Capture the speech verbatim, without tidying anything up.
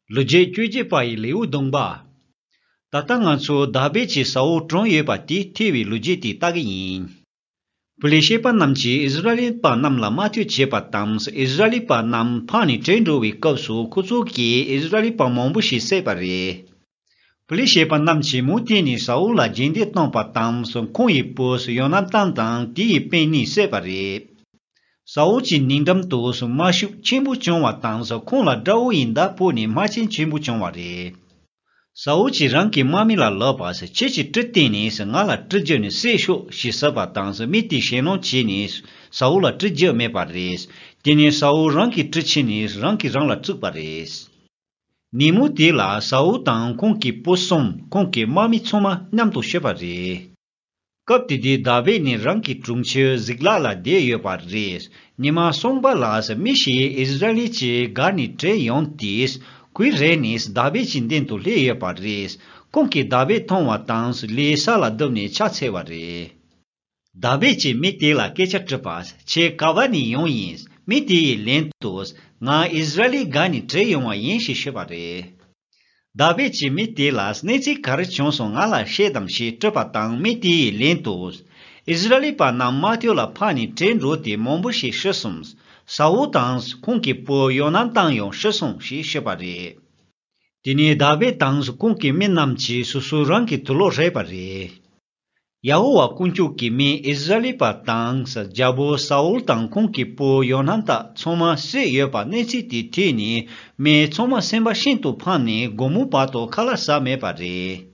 ལོ་རྒྱུས་བཅོ་བརྒྱད་པ་ཡི་ལེའུ་བདུན་པ། ད་ལྟ་ང་ཚོ་དཱ་བིད་ཀྱིས་ས་ཨུལ་བཀྲོངས་ཡོད་པ་དེ་ཐོས་པའི་ལོ་རྒྱུས་དེ་ལྟ་གི་ཡིན། པི་ལི་ཤེད་པ་རྣམས་ཀྱིས་ཨིསི་ར་ཨེལ་པ་རྣམས་ལ་དམག་འཐུས་བྱས་པ་དང་། ཨིསི་ར་ཨེལ་པ་རྣམས་ཕམ་ནས་བྲོས་འགྲོ་བའི་སྐབས་སུ་ཁོ་ཚོ་གིས་ཨིསི་ར་ཨེལ་པ་མང་པོ་ཞིག་བསད་པ་རེད། པི་ལི་ཤེད་པ་རྣམས་ཀྱིས་མུ་མཐུད་ནས་ས་ཨུལ་ལ་རྗེས་འདེད་བཏང་བ་དང་། ཁོང་ཡི་བུ་ཡོ་ན་ཐན་དང་དེ་ཡི་སྤུན་གཉིས་བསད་པ་རེད། ས་ཨུལ་གྱི་སྙིང་འགྲམ་དུ་དམར་ཤུགས་ཆེན་པོ་བྱུང་བ་དང་། ཁོང་ལ་དགྲ་བོ་ཡི་མདའ་ཕོག་ནས་རྨ་ཆེན་ཆེན་པོ་བྱུང་བ་རེད། ས་ཨུལ་གྱིས་རང་གི་དམག་མི་ལ་ལབ་པ། ཁྱེད་ཀྱིས་གྲི་བཏོན་ནས་ང་ལ་གྲི་རྒྱབ་ནས་བསད་ཤོག་ཞེས་ཟེར་བ་དང་། མི་དེས་ཞེད་སྣང་བྱས་ནས་ས་ཨུལ་ལ་གྲི་རྒྱབ་མེད་པ་རེད། དེ་ནས་ས་ཨུལ་རང་གི་གྲི་ཁྱེར་ནས་རང་གིས་རང་ལ་བཙུགས་པ་རེད། ཉིན་མོ་དེ་ལ་ས་ཨུལ་དང་ཁོང་གི་བུ་གསུམ། ཁོང་གི་དམག་མི་ཚང་མ་མཉམ་དུ་ཤི་བ་རེད། སྐབས་དེ་དུས་དཱ་བིད་ནི་རང་གི་གྲོང་ཁྱེར་ཟིག་ལག་ལ་བསྡད་ཡོད་པ་རེད། ཉི་མ་གསུམ་པ་ལ་མི་ཞིག་ཨིསི་ར་ཨེལ་གྱི་སྒར་ནས་བྲོས་ཡོང་སྟེ། གོས་རལ་ནས་དཱ་བིད་ཀྱི་མདུན་དུ་སླེབས་ཡོད་པ་རེད། ཁོང་གིས་དཱ་བིད་མཐོང་བ་དང་། ལས་ས་ལ་བརྡབས་ནས་ཕྱག་འཚལ་བ་རེད། དཱ་བིད་ཀྱིས་མི་དེ་ལ་སྐད་ཆ་དྲིས་པ། ཁྱེད་ག་བ་ནས་ཡོང་ཡིན། མི་དེ་ཡིས་ལན་དུ། ང་ཨིསི་ར་ཨེལ་སྒར་ནས་བྲོས་ཡོང་བ་ཡིན་ཞེས་ཤོད་པ་རེད། དཱ་བིད་ཀྱིས་མི་དེ་ལ་གནས་ཚུལ་ག་རེ་བྱུང་སོང་ང་ལ་བཤད་དང་ཞེས་དྲིས་པ་དང་། མི་དེ་ཡིས་ལན་དུ། ཨིསི་ར་ཨེལ་པ་རྣམས་དམག་འཐུས་ལ་ཕམ་ནས་བྲོས་འགྲོ་སྟེ་མང་པོ་ཞིག་ཤི་སོང་། ས་ཨུལ་དང་ཁོང་གི་བུ་ཡོ་ན་ཐན་ཡང་ཤི་སོང་ཞེས་ཤོད་པ་རེད། དེ་ནས་དཱ་བིད་དང་ཁོང་གི་མི་རྣམས་ཀྱིས་སོ་སོ་རང་གི་དུག་ལོག་རེག་པ་རེད། ཡ་ཧོ་ཝཱ་དཀོན་མཆོག་གི་མི་ཨིསི་ར་ཨེལ་པ་དང་རྒྱལ་པོ་ས་ཨུལ་དང་ཁོང་གི་བུ་ཡོ་ན་ཐན་ཚང་མ་བསད་ཡོད་པ་གནས་ཚུལ་དེ་ཐོས་ནས། མི་ཚང་མ་སེམས་པ་ཤིན་ཏུ་ཕམ་ནས་དགོང་མོ་བར་དུ་ཁ་ལག་ཟ་མེད་པ་རེད།